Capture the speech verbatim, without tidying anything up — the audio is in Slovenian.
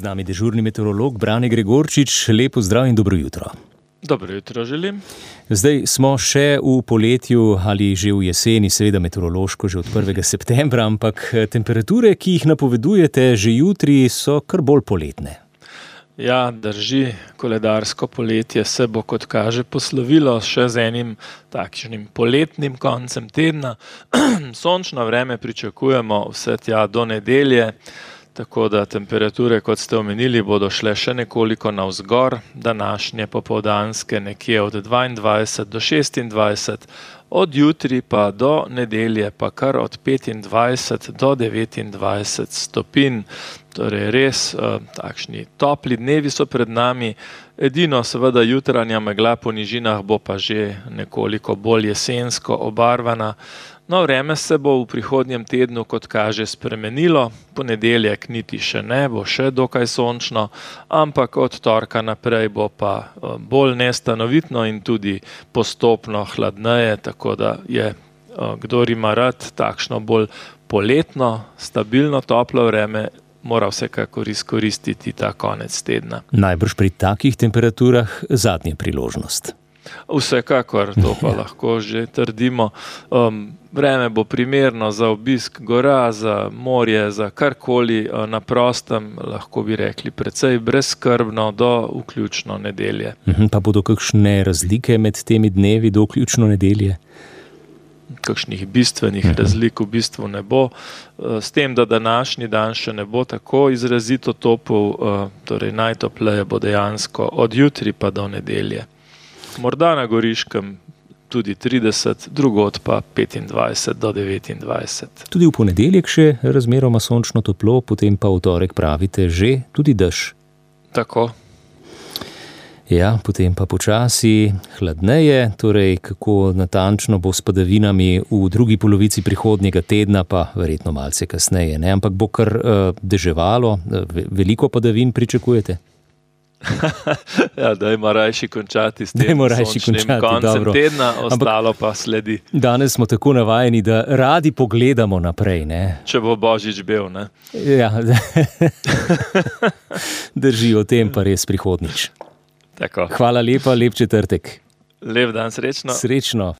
Z nami dežurni meteorolog Brane Gregorčič. Lepo zdrav in dobro jutro. Dobro jutro želim. Zdaj smo še v poletju ali že v jeseni, seveda meteorološko že od prvega septembra, ampak temperature, ki jih napovedujete že jutri, so kar bolj poletne. Ja, drži, koledarsko poletje se bo, kot kaže, poslovilo še z enim takšnim poletnim koncem tedna. Sončno vreme pričakujemo vse tja do nedelje, tako da temperature, kot ste omenili, bodo šle še nekoliko navzgor, današnje popoldanske nekje od dvaindvajset do šestindvajset, od jutri pa do nedelje pa kar od petindvajset do devetindvajset stopinj. Torej res eh, takšni topli dnevi so pred nami, edino seveda jutranja megla po nižinah bo pa že nekoliko bolj jesensko obarvana. No, vreme se bo v prihodnjem tednu, kot kaže, spremenilo, ponedeljek niti še ne, bo še dokaj sončno, ampak od torka naprej bo pa bolj nestanovitno in tudi postopno hladneje, tako da je, kdor ima rad takšno bolj poletno, stabilno toplo vreme, mora vsekakor izkoristiti ta konec tedna. Najbrž pri takih temperaturah zadnja priložnost. Vsekakor, to pa lahko že trdimo. Um, vreme bo primerno za obisk gora, za morje, za karkoli na prostem, lahko bi rekli precej brezskrbno do vključno nedelje. Pa bodo kakšne razlike med temi dnevi do vključno nedelje? Kakšnih bistvenih razlik v bistvu ne bo. S tem, da današnji dan še ne bo tako izrazito topel, torej najtopleje bo dejansko od jutri pa do nedelje. Morda na Goriškem tudi trideset, drugod pa petindvajset do devetindvajset. Tudi v ponedeljek še razmeroma sončno toplo, potem pa v torek pravite že tudi dež. Tako. Ja, potem pa počasi hladneje, torej kako natančno bo s padavinami v drugi polovici prihodnjega tedna, pa verjetno malce kasneje, ne? Ampak bo kar uh, deževalo, veliko padavin pričakujete? Ja, dajmo rajši končati s tem sončnim koncem dobro. Tedna, ostalo pa sledi. Danes smo tako navajeni, da radi pogledamo naprej, ne? Če bo Božič bel, ne? Ja, drži, o tem pa res prihodnič. Tako. Hvala lepa, lep četrtek. Lep dan, srečno. Srečno.